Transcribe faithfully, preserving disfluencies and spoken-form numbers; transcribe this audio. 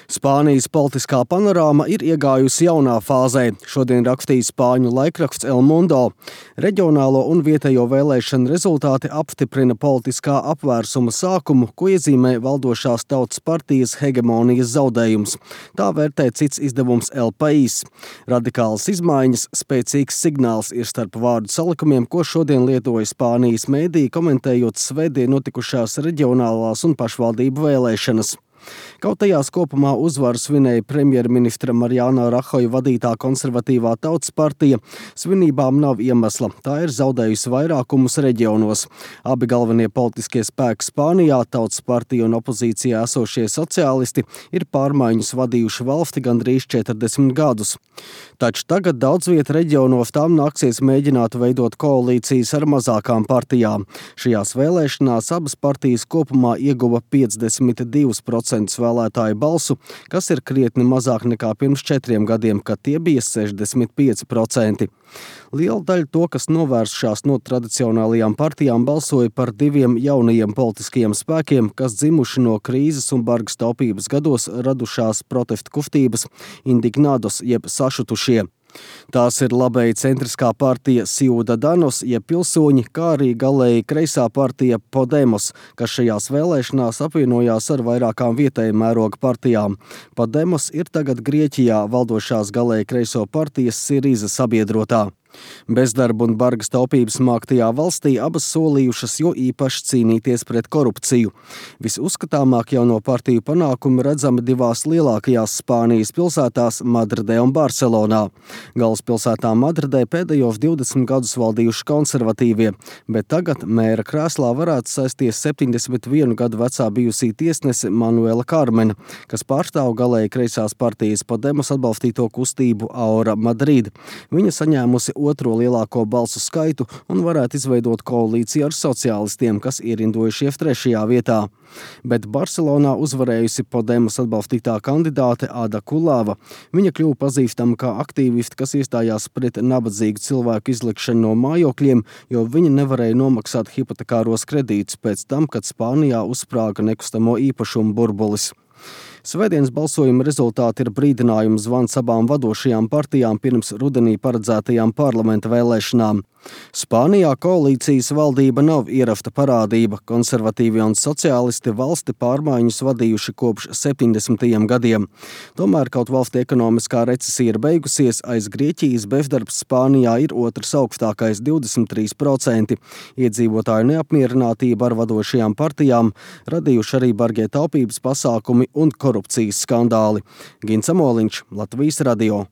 Spānijas politiskā panorāma ir iegājusi jaunā fāzē. Šodien rakstīja spāņu laikraksts El Mundo. Reģionālo un vietējo vēlēšanu rezultāti apstiprina politiskā apvērsuma sākumu, ko iezīmē valdošās tautas partijas hegemonijas zaudējums. Tā vērtē cits izdevums El País. Radikālas izmaiņas, spēcīgs signāls ir starp vārdu salikumiem, ko šodien lietoja Spānijas mēdī, komentējot svētdien notikušās reģionālās un pašvaldību vēlēšanas. Kaut tajās kopumā uzvaru svinēja premjerministra Mariano Rajoja vadītā konservatīvā tautas partija, svinībām nav iemesla. Tā ir zaudējusi vairākumus reģionos. Abi galvenie politiskie spēki Spānijā, tautas partija un opozīcijā esošie sociālisti, ir pārmaiņas vadījuši valsti gandrīz četrdesmit gadus. Taču tagad daudz viet reģionos tām nāksies mēģināt veidot koalīcijas ar mazākām partijām. Šajās vēlēšanās abas partijas kopumā ieguva piecdesmit divus procentus vēlētāju balsu, kas ir krietni mazāk nekā pirms četriem gadiem, kad tie bija sešdesmit pieci procenti. Liela daļa to, kas novēršās no tradicionālajām partijām, balsoja par diviem jaunajiem politiskajiem spēkiem, kas dzimuši no krīzes un bargas taupības gados radušās protestu kustības Indignados jeb sašutušie. Tās ir labēji centriskā partija Ciudadanos, jeb pilsoņi, kā arī galēji kreisā partija Podemos, kas šajās vēlēšanās apvienojās ar vairākām vietēja mēroga partijām. Podemos ir tagad Grieķijā valdošās galēji kreiso partijas Siriza sabiedrotā. Bezdarba un bargas taupības māktajā valstī abas solījušas jo īpaši cīnīties pret korupciju. Visuzskatāmāk jauno partiju panākumi redzami divās lielākajās Spānijas pilsētās Madridē un Barcelonā. Galvaspilsētā Madridē pēdējos divdesmit gadus valdījuši konservatīvie, bet tagad mēra krēslā varētu sēsties septiņdesmit vienu gadu vecā bijusī tiesnese Manuela Carmena, kas pārstāv galēji kreisās partijas Podemos atbalstīto kustību Ahora Madrid. Viņa saņēmusi otro lielāko balsu skaitu un varētu izveidot koalīciju ar sociālistiem, kas ierindojušies trešajā vietā. Bet Barcelonā uzvarējusi Podemos atbalstītā kandidāte Ada Colau. Viņa kļuva pazīstama kā aktīvisti, kas iestājās pret nabadzīgu cilvēku izlikšanu no mājokļiem, jo viņi nevarēja nomaksāt hipotekāros kredītus pēc tam, kad Spānijā uzsprāga nekustamo īpašumu burbulis. Svētdienas balsojuma rezultāti ir brīdinājums zvans abām vadošajām partijām pirms rudenī paredzētajām parlamenta vēlēšanām. Spānijā koalīcijas valdība nav ierasta parādība. Konservatīvie un sociālisti valsti pārmaiņas vadījuši kopš septiņdesmitajiem gadiem. Tomēr kaut valsti ekonomiskā recesija ir beigusies, aiz Grieķijas bezdarbs Spānijā ir otrs augstākais divdesmit trīs procenti. Iedzīvotāju neapmierinātība ar vadošajām partijām radījuši arī bargie taupības pasākumi un korupcijas skandāli. Gins Amoliņš, Latvijas radio.